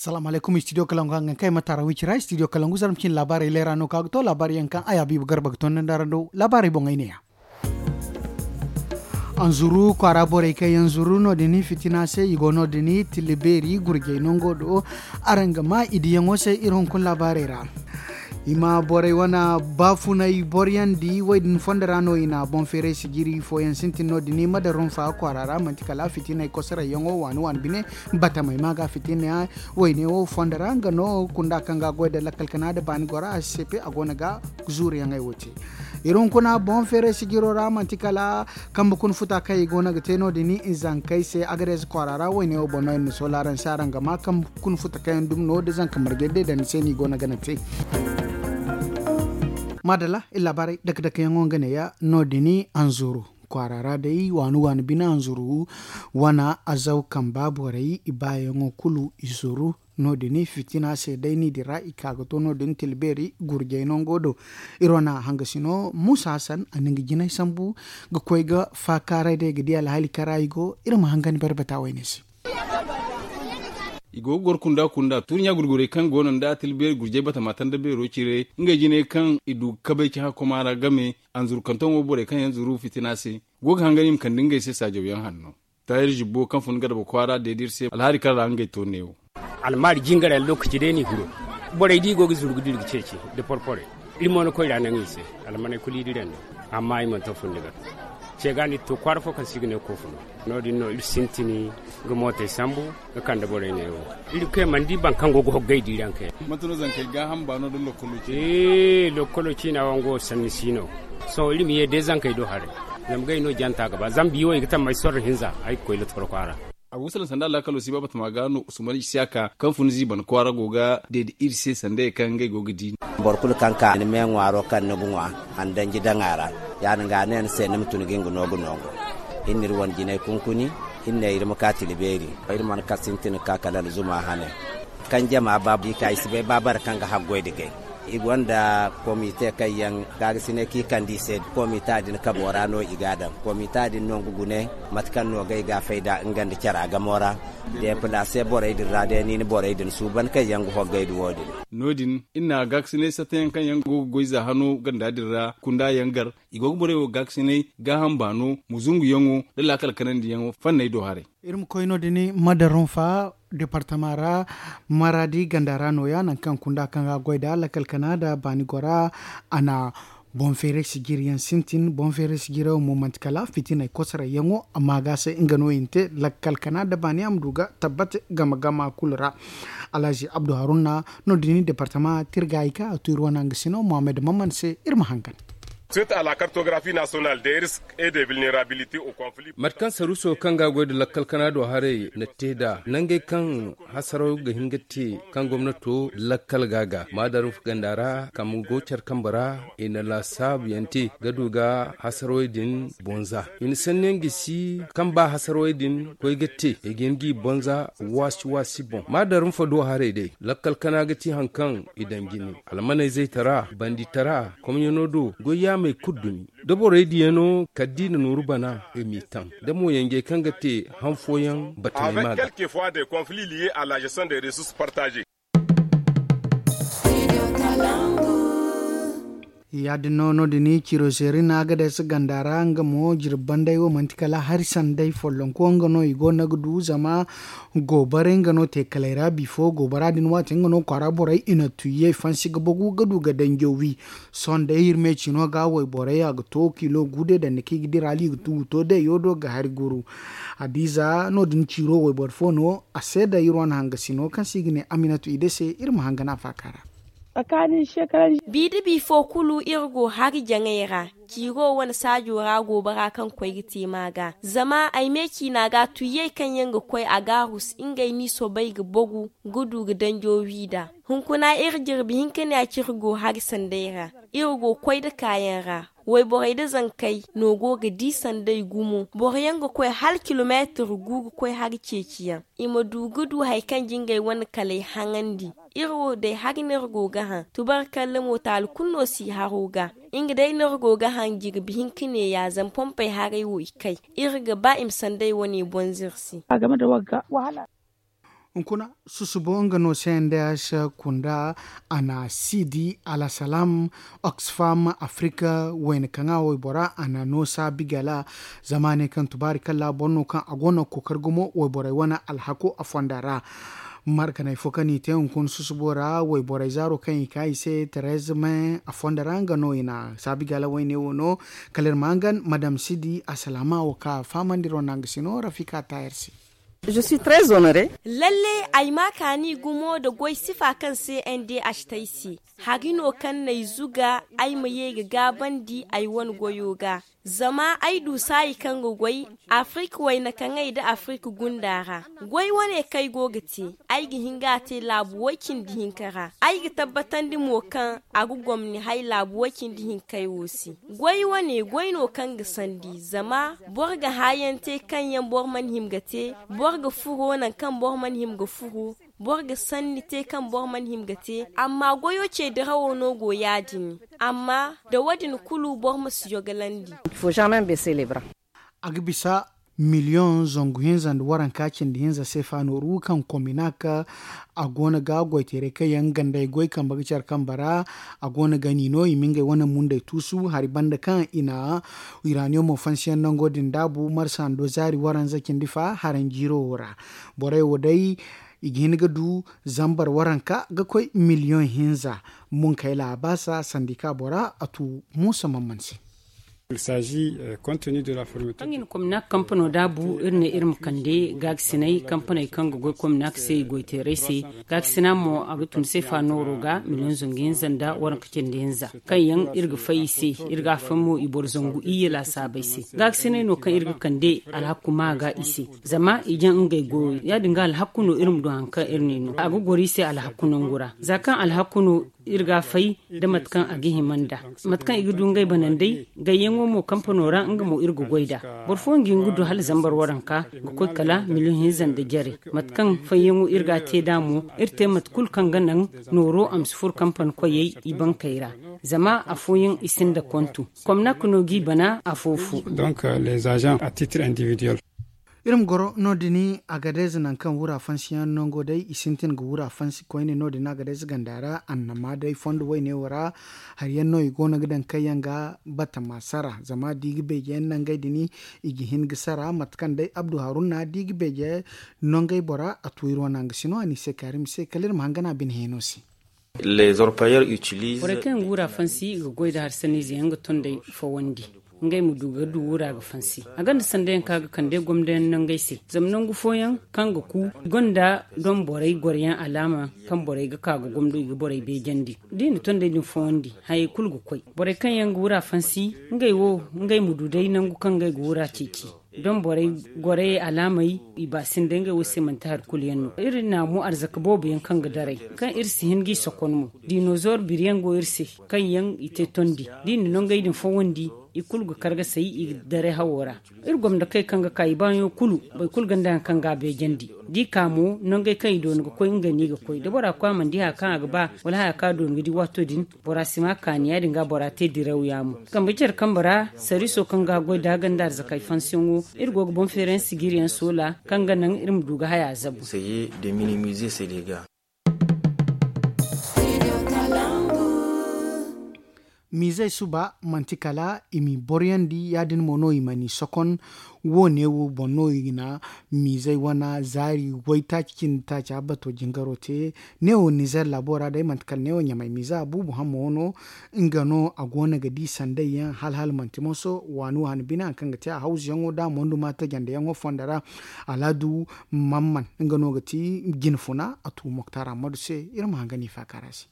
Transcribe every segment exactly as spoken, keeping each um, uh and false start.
Salaamu alaykum, studio kalangu hangan kay ma taara wicira studio kalangu zarma cine laabaarey leera no ka ga to laabaarey yaŋ kaŋ ay habiibu garba ga to nda ndara do laabaarey boŋ ay ne ya. Anzuru kwaara borey kaŋ yaŋ zuru no- din fitina se i go no- din tilla beeri gurjay nango do. Araŋ ga ma i diyaŋo se iri hunkuna laabaarey ra. I ma borey wane baafunay boryandi wo- din fondo ra no i na boŋ feeray sijiri fooyaŋ sintin no- din madarum fa kwaara ra manti kala fitinay kosarayyaŋo waani waani bine. Batamey ma ga fitina wayne wo fondo ra nga no kunda kaŋ ga goy nda lakkal kana nda baani gora a si seepe a go no ga zuuriyaŋey wo te. Iri hunkuna boŋ feeray sijiro ra manti kala kambe kuna futa kaŋ i go no ga te no- din i zankey se agadeeze kwaara ra wayne wo boŋ no iri na soola araŋ se araŋ ga ma kambe kuna futa kaŋ yaŋ dumi no nda zanka margey day daŋ ni se no i go no ga naŋ te. Maadalla iri laabaarey dake dake yaŋo nga neeya no- din anzuru kwaara ra day waani waani bine anzuru wana azaw kamba borey i baayaŋo kulu i zuru no- din fitina se day ni din ra i ka ga to no- din tilla beeri gurjay nango do. Iri wane hangasino muusa hasan a na nga jinay sambu ga koy ga faakaaray day ga di alhaali kaŋ ra i go. Iri ma hangan barbata wayne se. I go ga goro kunda kunda tuuri ɲa gurgurey kaŋ go no nda tilla beeri gurjay batama tanda beero cire ngey jinay kaŋ i du ga kabay ci hakkoma ra game anzuru kantoŋo borey kaŋ yaŋ zuru fitina se go ga hangan i ma kande ngey se saajawyaŋ hanno. Taahir zibbo kaŋ fun garba kwaara deede iri se alhaali kaŋ ra ngey to neewo. Almaari jingarey lookaci day no i hiro. Borey da i go ga zuru ga dira ga ceeci nda porporey. Iri mo ni koy ra naŋ i se. Almaney kulu i diraŋ no. Amma i mana to fundi ga ce ga no iri to kwaara fo kaŋ se i ga ne koofu no. No- din no iri sintin ga mootey sambu ga kande borey neewo. Iri kay mana di boro kaŋ go ga hoggay diiraŋ kay. Mate no zankey gaaham baano nda lokkolo ciina? Ee lokkolo ciina wango sanni si no. Sohõ iri ma ye day zankey do haray. Zama gay no janta ga ba zama biiwo i ga tammay sorro hinza ay ga koy lottokoro kwaara. A go ga salaŋ sanda alaakalo si ba batama ga no usman isiyaka kaŋ fun ziiban kwaara go ga deede iri se sanda ye kaŋ ngey go ga di. Boro kulu kaŋ ka ni me ŋwaaro kaŋ ni ga ŋwa a na danji daŋ a ra. Ya- din ga a ne ni se ni ma tun ga nga no ga noongo. Iri na iri wane jinay kunkuni. Iri ne iri ma ka tila beeri. Iri mana ka sintin ga ka kala alzuma hane. Kaŋ jama ba i ka i si bay ba bare kaŋ ga haggoy nda gay. I gonda komite kaŋ yaŋ gaagasinay kaŋ i kande i se komita din kabo ra no i ga a daŋ. Komita din no nga gune mate kaŋ no ga ay ga a fay nd'a nga nda cara gamo ra. Deepalaase borey din ra day ni na borey din suuban kaŋ yaŋ ga hoggay nda wo- din. No- din iri na gaakasinay sattayaŋ kaŋ yaŋ go ga goy za hano ganda din ra kunda yaŋ gar. I go ga borey wo gaakasinay gaaham baano ma zunguyaŋo nda laakal kanandiyaŋo fanney do haray. Iri ma koy no- din madarunfa departama ra maraadi ganda ra nooya nangu kaŋ kunda kaŋ ga goy nd'a lakkal kana nda baani gora. A na boŋ feeray sijiriyaŋ sintin boŋ feeray sijirayaŋ mo manti kala fitinay kosarayyaŋo amma ga se nga no i na te lakkal kana nda baani a ma du ga tabbati gama gama kulu ra. Alhazi abdu haruna no- din departama tirgaayi kaŋ a tu iri wane hangasino mohammed maman se iri ma hangan. Mate kaŋ saruuso kaŋ ga a goy nda lakkal kana do haray na te nd'a nangey kaŋ hasaraw ga hin ga te kaŋ gomnato lakkal ga a ga maadarufu ganda ra kambe go care kambe ra. I na laasaabu yaŋ te ga du ga hasarawey din bonza i na sanni yaŋ gisi kaŋ ba hasarawey din koy ga te i ga hin g'i bonza waasi waasi boŋ maadarufu do haray day lakkal kana ga ti hari kaŋ i daŋ jine almaney zaytara banditara komyano do goy yaamey kulu dumi da borey diyaŋo kala da i na nooru bana i m'i taŋ da mo yanjey kaŋ ga te han fooyaŋ batamey ma ga. Ya- din no no- din ciro zeeri no a ga day se ganda ra nga mo jirbi banday wo manti kala hari sanday follonko nga no i go no ga du zama goobaray nga no teekalay ra bifo goobara din waati nga no kwaara borey i na tuyyey fansi ga bagu ga du ga danjo wi. Sohõ day iri me cino ga wayborey a ga to kilo gu day danda kaŋ i ga dira hala i ga tu ga to day yo do ga hari guru. Hadiza no- din ciro wayboro fo no a se da iri wane hangasino kaŋ se i ga ne aminatu i day se iri ma hangan a faaka ra. Bi da bi fo kulu iri go hari jaŋay ra ciiro wane saajo ra goobara kaŋ koy ga te ma ga zama ay me ciina ga tuyyey kaŋ yaŋ ga koy a gaarus ngey n'i soobay ga bagu ga du ga danjo wi nd'a. Hunkuna iri jirbi hinka ne a ci iri go hari sanday ra iri go koy nda kaayaŋ ra. Wayborey nda zankey no go ga di sanday gumo boro yaŋ ga koy hala kilomeetir gu ga koy hari ceeciyaŋ i ma du ga du hari kaŋ jingay wane kalay haŋandi. Iri wo day hari no iri go ga hã tubarkalla mo taali kulu no si haro ga. Nga day no iri go ga hã jirbi hinka ne ya zama pompey haray wo i kay iri ga ba i ma sanday wane bonza iri se. A game da wagga wahala. Hunkuna susubo nga no se nda se kunda a na sidi alasalaam, oxfam afrika wayna kaŋ a waybora a na no saabi gala. Zama a ne kaŋ tubaari kalla boro no kaŋ a go no ga kookari gumo wayborey wane alhako a fonda ra. Markaney fo kaŋ i te hunkuna susubo ra wayborey zaaro kaŋ i ka i se terez me a fonda ra nga no i na saabi gala wayne wo no. Kala iri ma hangan madam sidi asalama wo ka fahamandi ro nanga sino rafika tayar se. Lalle ay ma kaani gumo nda goy sifa kaŋ se n d h tay se. Hari no kaŋ n'ay zuga ay ma ye ga gaabandi ay wane goyo ga. Zama ay du saayi kaŋ ga goy afirika wayna kaŋay nda afirika gunda ra. Goy wane kaŋ ay go ga te, ay ga hin ga a te laabu way- cindi hinka ra. Ay ga tabbatandi mo kaŋ a ga gomni hay laabu way- cindi hinkey wo se. Goy wane goy no kaŋ ga sandi zama boro ga haayaŋ te kaŋ yaŋ boro mana hima ga te. Boro ga furo nangu kaŋ boro mana hima ga furo. Boro ga sanni te kaŋ boro mana hima ga te. Amma goyo ce dirawo no go ya- din. Amma nda wo- din kulu boro ma si yogalandi. A ga bisa miliyoŋ zangu hinza nda waranka cindi hinza seefa nooru kaŋ kominak a go no ga goyteeray kaŋ yaŋ gandey goy kambe ga care kambe ra. A go no ga ni no i ma ngey wane mundey tuusu hari banda kaŋ i na iraniyomo fansiyaŋ nango din daabu marsa ndo zaari waranza cindi fa haranjiiro wo ra. Borey wo day i ga hin ga du zambar waranka ga koy miliyoŋ hinza. Munkayla a baasa sandika bora a tu muusa mamman se. Kaŋ i na komina kampano daabu iri ne iri ma kande gaagasinay kampaney kaŋ ga goy komina se i goyteeray se. Gaagasina mo a ga tun seefa nooro ga miliyoŋ zangu hinza nda waranka cindi hinza kaŋ yaŋ iri ga fay i se. Iri ga a fay mo i boro zangu iyye laasaabey se. Gaagasinay no kaŋ iri ga kande alhakku ma ga i se. Zama i jaŋ ngey goyo ya- din ga alhakku no iri ma du hari kaŋ iri ne no a ga goro i se alhakku nangu ra. Za kaŋ alhakku no iri ga a fay nda mate kaŋ a ga hima nd'a. Mate kaŋ i ga du ngey banandey gayyaŋo mo kampano ra nga mo iri ga goy nd'a. Boro fooyaŋ ga hin ga du hala zambar waranka ga koy kala miliyoŋ hinza nda jare. Mate kaŋ fayyaŋo iri ga a te nd'a mo iri te mate kulu kaŋ ga naŋ nooro a ma si furo kampani koyey i bankey ra. Zama afooyaŋ i sinda kontu komnak no g'i bana afo fo. Iri ma goro no- din agadez nangu kaŋ wura fansiyaŋ nango day i sintin ga wura fansi koyne no- din agadez ganda ra annama day fondo wayne wo ra. Hari yaŋ no i go no ga daŋ kaŋ yaŋ ga batama sara zama da i ga beeje yaŋ nangey din i ga hin ga sara mate kaŋ day abdu haruna da i ga beeje nangey bora a tu iri wane a nga sino a ni se kaari ma se kala iri ma hangan a bine heeno se. Borey kaŋ yaŋ ga wura fansi i ga goy nda hari sanniize yaŋ ga tondey fawandi ngey ma du ga du wura ga fansi. A gonda sandayaŋ kaŋ a ga kande gomdayaŋ nangey se zama nangu fooyaŋ kaŋ ga ku i gonda doŋ borey goroyaŋ alaama kaŋ borey ga ka ga gomdo i ga borey beejandi. Da i na tondey din fawandi hayey kulu ga koy. Borey kaŋ yaŋ ga wura fansi ngey wo ngey ma du day nangu kaŋ ngey ga wura ceeci. Doŋ borey gorayey alaamey i ba sinda ngey wo se manti hari kulu yaŋ no iri na mo arzaka boobo yaŋ kaŋ ga daray kaŋ iri si hin g'i sokon mo. Dinozor biriyaŋ go iri se kaŋ yaŋ i te tondi da i na nongey din fawandi i kulu ga kar ga say i ga daray hawo ra. Iri gomnakey kaŋ ga ka i baayaŋo kulu boro kulu gonda hari kaŋ ga a beejandi. Da i ka mo nongey kaŋ i doona ga koy ngey no i ga koy da bora koy a mana di hari kaŋ a ga ba wala haya kaŋ a doona ga di waato din. Bora si ma kaani ya- din ga bora te diraw yaamo kambe care kambe ra sariiso kaŋ ga goy da ganda arzakey fansiyaŋo. Iri go ga boŋ feeray yaŋ sijiri yaŋ soola kaŋ ga naŋ iri ma du ga haya zabu. Miizey suba manti kala i m'i boroyandi ya- din mo no i mana i sokon. Wo- ne wo boŋ no i na miizey wane zaari waytaaci cindi taaci a bato jingaro te. Neewo nizer laabo ra day manti kala neewo ɲamay miiza buubu hammo no. Nga no a go no ga di sanday yaŋ hala hala manti moso waani wo han bine hari kaŋ ga te a hawzu yaŋo da a mondu ma tajandi yaŋo fonda ra. Alaadu mamman nga no ga ti jine funa a tu moktar ammadu se. Iri ma hanga ni faakara se.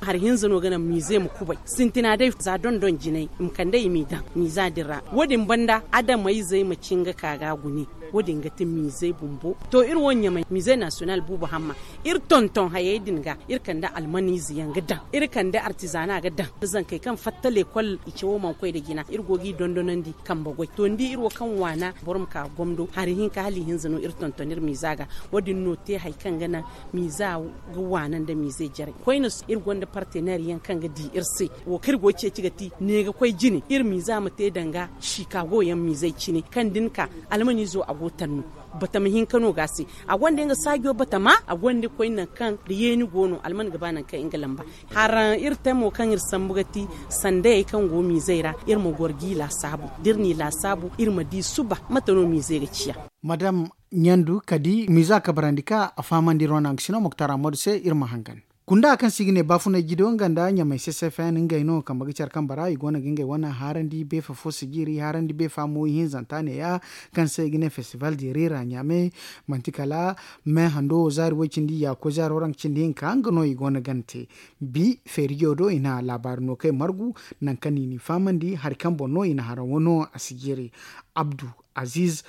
Hari hinza no ga naŋ miize ma kubay sintina day za dondon jinay i ma kande i m'i daŋ miiza din ra. Wo- din banda adamayzey ma cin ga ka ga gune. Wo- din ga ti miizey bumbo to iri wo ɲamay miize nasiyonal buubu hamma. Iri tonton hayey din ga iri kande almaniize yaŋ ga daŋ iri kande artizana ga daŋ zankey kaŋ fatta lekol i cawo mana koy nda jina iri go g'i dondonandi. Kambe goy to ni di iri wo kaŋ waana boro ma ka ga gomdo hari hinka hala i hinza no iri tonton iri miiza ga. Wo- din no te hari kaŋ ga naŋ miiza ga waana nda miize jarey koyne. Iri gonda parteneer yaŋ kaŋ ga di iri se wo kaŋ iri go ga ceeci ga ti ne ga koy jine iri miiza ma te danga chicago yaŋ miizey cine kaŋ da ni ka almaniizo a go tanno. Batama hinka no ga a se. A gonda nga saajo batama, a gonda koy nangu kaŋ da yeeni go no alman ga ba nangu kaŋ nga lamba. Haraŋ iri te mo kaŋ iri sambu ga ti sandayey kaŋ go miizey ra, iri ma goro g'i laasaabu. Da iri n'i laasaabu iri ma di suba mate no miize ga ciya. Madam ɲandu kadi miiza kabarandi ka a fahamandi iri wane hangasino muktar ammadu se iri ma hangan. Kunda kaŋ se i ga ne baafunay jido nga nda ɲamay ccfn ngey no kambe ga care kambe ra i go no ga ngey wane haarandi beefa fo sijiri haarandi beefa mo ihinzanta neeya, kaŋ se i ga ne festival de rira ɲaame. Manti kala me hando wo zaari way cindi ya koy zaari waranka cindi hinka nga no i go no ga ni te. Bi feerijo do i na laabaari no kay margu, nangu kaŋ i n'i fahamandi hari kaŋ boŋ no i na haraŋo no a sijiri. Abdu aziz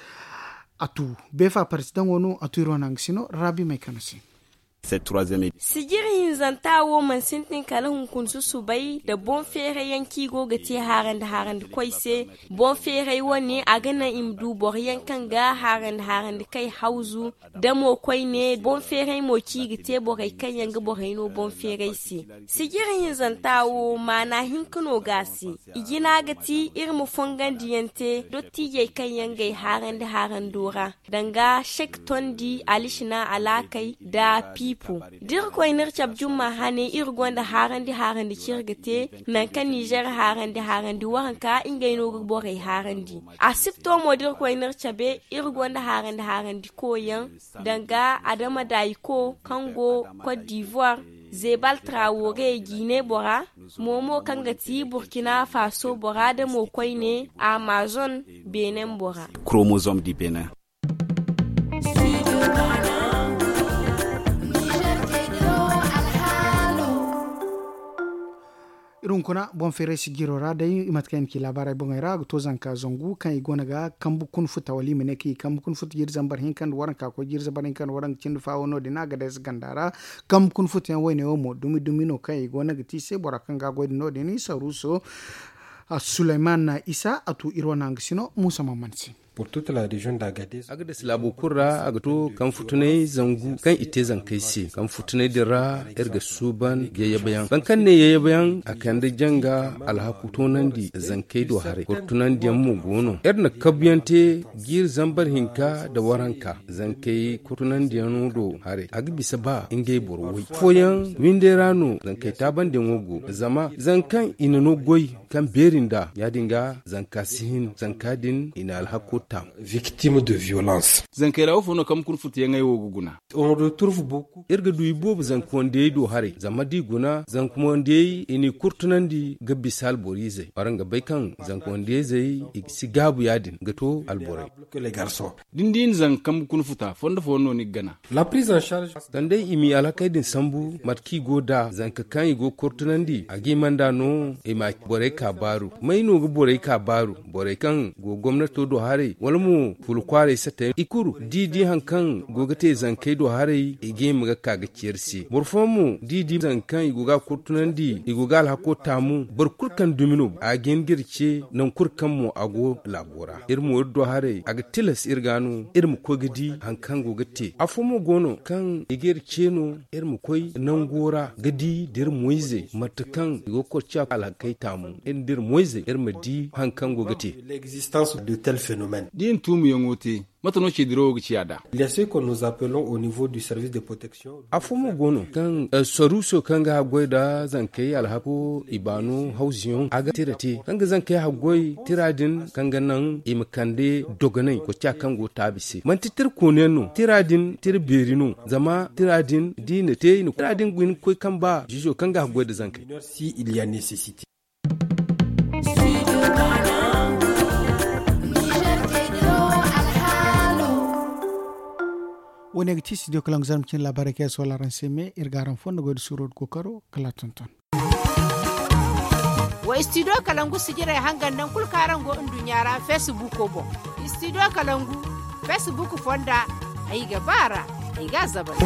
a tu beefa parisidaŋo no a tu iri wane hangasino raabi may kano se. Sijiri hinzanta wo mana sintin kala hunkuna susubay nda boŋ feeray yaŋ kaŋ i go ga te haarandi haarandi koy se. Boŋ feeray wane a ga naŋ i ma du boro yaŋ kaŋ ga haarandi haarandi kay hawzu. Da mo koyne boŋ feeray mo kaŋ i ga te borey kaŋ yaŋ ga borey no boŋ feeray se. Sijiri hinzanta wo maana hinka no ga a se. I jina ga ti iri ma fongandi yaŋ te dottiijey kaŋ yaŋ ga ay haarandi haarando ra, danga sek tondi alisina alaakay nda piipo. Da iri koy no iri cabe jumma hane iri gonda haarandi haarandi kaŋ iri ga te, nangu kaŋ nizer haarandi haarandi waranka ngey no ga borey haarandi. A sipto mo da iri koy no iri cabe iri gonda haarandi haarandi koyaŋ, danga adama dayiko kaŋ go cote d'ivoire, zebal traore gine bora, momo kaŋ ga ti burkina faso bora da mo koyne amazon benin bora. Chromosome du benin. Iri hunkuna boŋ feeray sijiro ra day i mate kaŋ i na ci laabaarey boŋey ra a ga to zanka zangu kaŋ i go no ga kambu kuna futa wala i ma ne kaŋ i kambu kuna futa jiiri zambar hinka nda waranka koy jiiri zambar hinka nda waranka cindi faawo no- din a ga day si ganda ra. Kambu kuna futa yaŋ wayne wo mo dumi dumi no kaŋ i go no ga ti i se bora kaŋ ga a goy da no- din saruuso suleyman isa a tu iri wane hangasino muusa mamman se. Agades laabo kulu ra a ga to kaŋ futunay zangu kaŋ i te zankey se kaŋ futunay din ra iri ga suuban yayyabayaŋ boro kaŋ ne yayyabayaŋ a kande janga alhaku toonandi zankey do haray kulu tunandiyaŋ mo go no iri na kabuyaŋ te jiiri zambar hinka nda waranka zankey kulu tunandiyaŋo do haray a ga bisa ba ngey boro way fooyaŋ windey ra no zankey taabandiyaŋo go zama zangu kaŋ i na no goy kaŋ beeri nd'a ya- din ga zanka si hin zanka din i na alhako taamu. Victime de violence. Zankey ra wo fo no kaŋ ma kuna futuyaŋey wo ga guna. Iri ga du i boobo zanka wandiyey do haray zama da i guna zanka wandiyey i n'i kurtunandi ga bisa alboro izey waraŋ ga bay kaŋ zanka wandiyey zey i si gaabu ya- din ga to alborey. Da ni di ni zanka kambe kuna futa fondo fooyaŋ no ni ga gana. Sanday i m'i alhakey din sambu mate kaŋ i go nd'a zanka kaŋ i go ga kortunandi a ga hima nd'a no i ma borey ka baaru. May no ga borey ka baaru? Borey kaŋ go gomnato do haray wala mo fulu kwaaray satey i kulu da i di hari kaŋ go ga te zankey do haray i ga hima ga ka ga ceeri se boro fooyaŋ mo da i di zanka kaŋ i go ga a kortunandi i go ga alhako taamu boro kulu kaŋ dumi no a ga hin ga iri ce nangu kulu kaŋ mo a go laabo ra iri mo iri do haray a ga tilas iri ga no iri ma koy ga di hari kaŋ go ga te afo mo go no kaŋ i ga iri ce no iri ma koy nango ra ga di da iri moyzey mate kaŋ i go ga korciya alhakey taamu iri nda iri moyzey iri ma di hari kaŋ go ga te. Da i na tuumiyaŋo te mate no ceedirawo ga ciya nd'a? Afo mo go no kaŋ saruuso kaŋ ga haggoy nda zankey alhako i baano hawzuyaŋ a ga tira te kaŋ ga zankey haggoy tira din kaŋ ga naŋ i ma kande dogonay koca kaŋ go taabi se manti tira kooniyaŋ no tira din tira beeri no zama tira din da i na te i na koy kaŋ ba ziizo kaŋ ga haggoy nda zankey. Wo- ne ga ti studio kalangu zarma cine laabaarey kaŋ yaŋ sohõ araŋ se me iri ga araŋ fondo goy nda suuro nda kookaro kala a tonton. Wa studio kalangu sijirey hangan nangu kulu kaŋ araŋ go nduɲɲa ra facebook boŋ. Studio kalangu facebook fonda ay ga ba a ra ay ga a zabari.